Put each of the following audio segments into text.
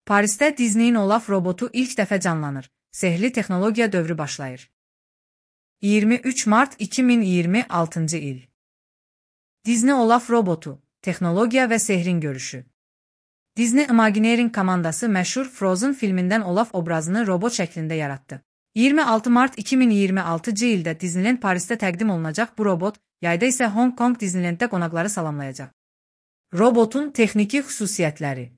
Parisdə Disneyin Olaf robotu ilk dəfə canlanır. Sehirli texnologiya dövrü başlayır. 23 mart 2026 il. Disney Olaf robotu, texnologiya və sehrin görüşü. Disney Imagineering komandası məşhur Frozen filmindən Olaf obrazını robot şəklində yaratdı. 26 mart 2026 ildə Disneyland Parisdə təqdim olunacaq bu robot, yayda isə Hong Kong Disneylanddə qonaqları salamlayacaq. Robotun texniki xüsusiyyətləri.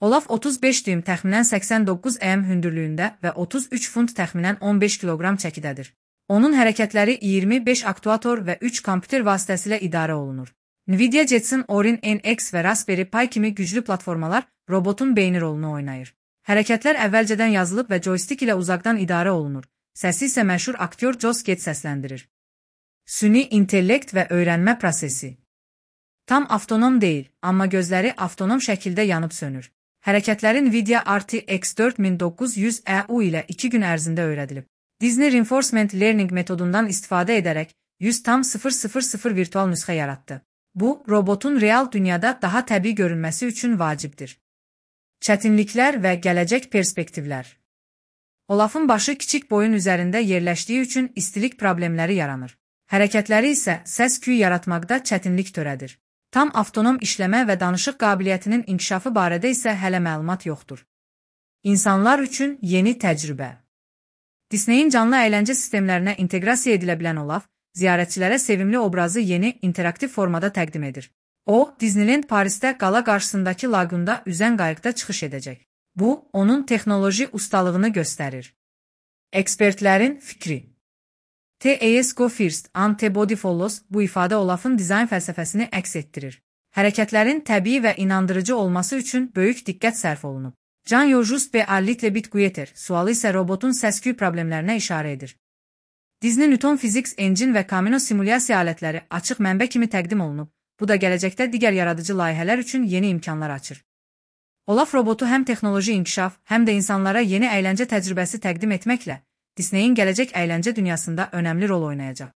Olaf 35 düym təxminən 89 hündürlüyündə və 33 funt təxminən 15 kiloqram çəkidədir. Onun hərəkətləri 25 aktuator və 3 kompüter vasitəsilə idarə olunur. Nvidia Jetson Orin NX və Raspberry Pi kimi güclü platformalar robotun beyni rolunu oynayır. Hərəkətlər əvvəlcədən yazılıb və joystick ilə uzaqdan idarə olunur. Səsi isə məşhur aktyor Joss Gad səsləndirir. Süni intellekt və öyrənmə prosesi. Tam avtonom deyil, amma gözləri avtonom şəkildə yanıb sönür. Hərəkətləri Nvidia RTX 4900 EU ilə 2 gün ərzində öyrədilib. Disney Reinforcement Learning metodundan istifadə edərək 100,000 virtual nüsxə yaratdı. Bu, robotun real dünyada daha təbii görünməsi üçün vacibdir. Çətinliklər və gələcək perspektivlər. Olafın başı kiçik boyun üzərində yerləşdiyi üçün istilik problemləri yaranır. Hərəkətləri isə səs-küy yaratmaqda çətinlik törədir. Tam avtonom işləmə və danışıq qabiliyyətinin inkişafı barədə isə hələ məlumat yoxdur. İnsanlar üçün yeni təcrübə. Disneyin canlı əyləncə sistemlərinə inteqrasiya edilə bilən Olaf, ziyarətçilərə sevimli obrazı yeni, interaktiv formada təqdim edir. O, Disneyland Parisdə qala qarşısındakı laqunda üzən qayıqda çıxış edəcək. Bu, onun texnoloji ustalığını göstərir. Ekspertlərin fikri. TAS Go First, Antibody Follows bu ifadə Olafın dizayn fəlsəfəsini əks etdirir. Hərəkətlərin təbii və inandırıcı olması üçün böyük diqqət sərf olunub. Can Just B. Alitle Bit Guetter sualı isə robotun səs-küy problemlərinə işarə edir. Disney Newton Physics Engine və Camino simulyasiya alətləri açıq mənbə kimi təqdim olunub. Bu da gələcəkdə digər yaradıcı layihələr üçün yeni imkanlar açır. Olaf robotu həm texnoloji inkişaf, həm də insanlara yeni əyləncə təcrübəsi təqdim etməklə Disneyin gələcək əyləncə dünyasında önəmli rol oynayacaq.